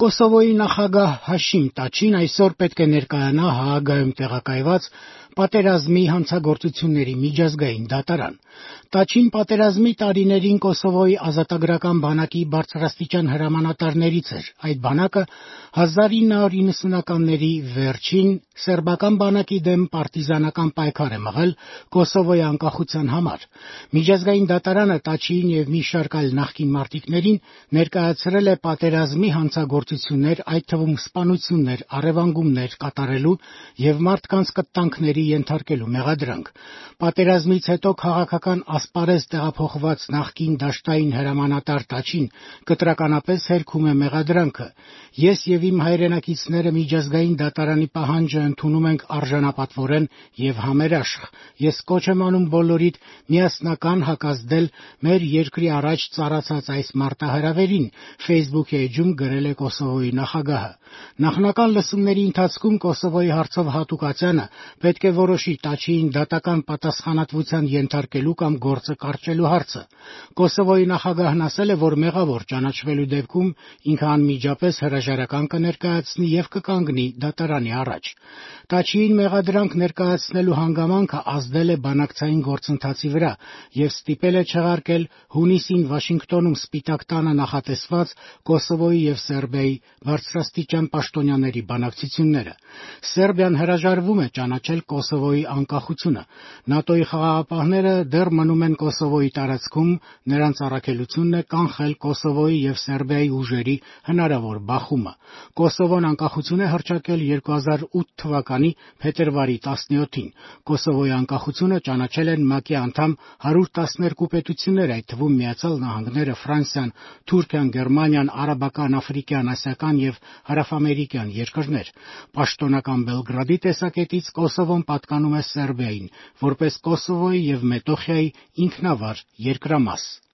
Կոսովոյի նախագահ Հաշիմ Տաչին այսօր պետք է ներկայանա Հաագայում տեղակայված պատերազմի հանցագործությունների միջազգային դատարան։ Տաչին պատերազմի տարիներին Կոսովոյի ազատագրական բանակի բարձրաստիճան հրամանատարներից էր։ Այդ բանակը 1990-ականների վերջին սերբական բանակի դեմ պարտիզանական պայքար է մղել Կոսովոյի անկախության համար։ Միջազգային դատարանը Տաչիին եւ մի շարք այլ նախկին մարտիկներին ներկայացրել է պատերազմի հանցագործություններ, այդ թվում սպանություններ, առևանգումներ կատարելու եւ մարդկանց կտանքների ենթարկելու մեղադրանք։ Պատերազմից հետո քաղաքական ասպարեզ տեղափոխված նախկին դաշտային հրամանատար Տաչին կտրականապես հերքում է մեղադրանքը։ Ես եւ իմ հայրենակիցները միջազգային դատարանի պահանջը ընդունում ենք արժանապատվորեն եւ համերաշխ։ Ես կոչ եմ անում բոլորիդ միասնական հակազդել մեր երկրի առաջ ծառացած այս մարտահրավերին, Facebook էջում գրել է Կոսովոյի նախագահը։ Նախնական լսումների ընթացքում Կոսովոյի հարցով հատուկացյանը պետք է որոշի Տաչիին դատական պատասխանատվության ենթարկելու կամ գործը կարճելու հարցը։ Կոսովոյի նախագահն ասել է, որ մեղավոր ճանաչվելու դեպքում ինքը անմիջապես հրաժարական կներկայացնի եւ կկանգնի դատարանի առաջ։ Տաչիին մեղադրանք ներկայացնելու հանգամանքը ազդել է բանակցային գործընթացի վրա եւ ստիպել է չեղարկել հունիսին Վաշինգտոնում Սպիտակ տանը նախատեսված Կոսովոյի եւ Սերբիայի բարձրաստիճան պաշտոնյաների բանակցությունները։ Սերբիան հրաժարվում է ճանաչել Կոսովոյի անկախությունը։ ՆԱՏՕ-ի խաղաղապահները դեռ մնում են Կոսովոյի տարածքում, նրանց առաքելությունն է կանխել Կոսովոյի եւ Սերբիայի ուժերի հնարավոր բախումը։ Կոսովոն անկախություն է հռչակել 2008 թվականի փետրվարի 17-ին։ Կոսովոյի անկախությունը ճանաչել են ՄԱԿ-ի անդամ 112 պետություններ, այդ թվում Միացյալ Նահանգները, Ֆրանսիան, Թուրքիան, Գերմանիան, արաբական, աֆրիկյան, ասիական եւ հարավամերիկյան երկրներ։ Պաշտոնական Բելգրադի տեսակետից Կոսովոն պատկանում է Սերբիային, որպես Կոսովոյի եւ Մետոխիայի ինքնավար երկրամաս։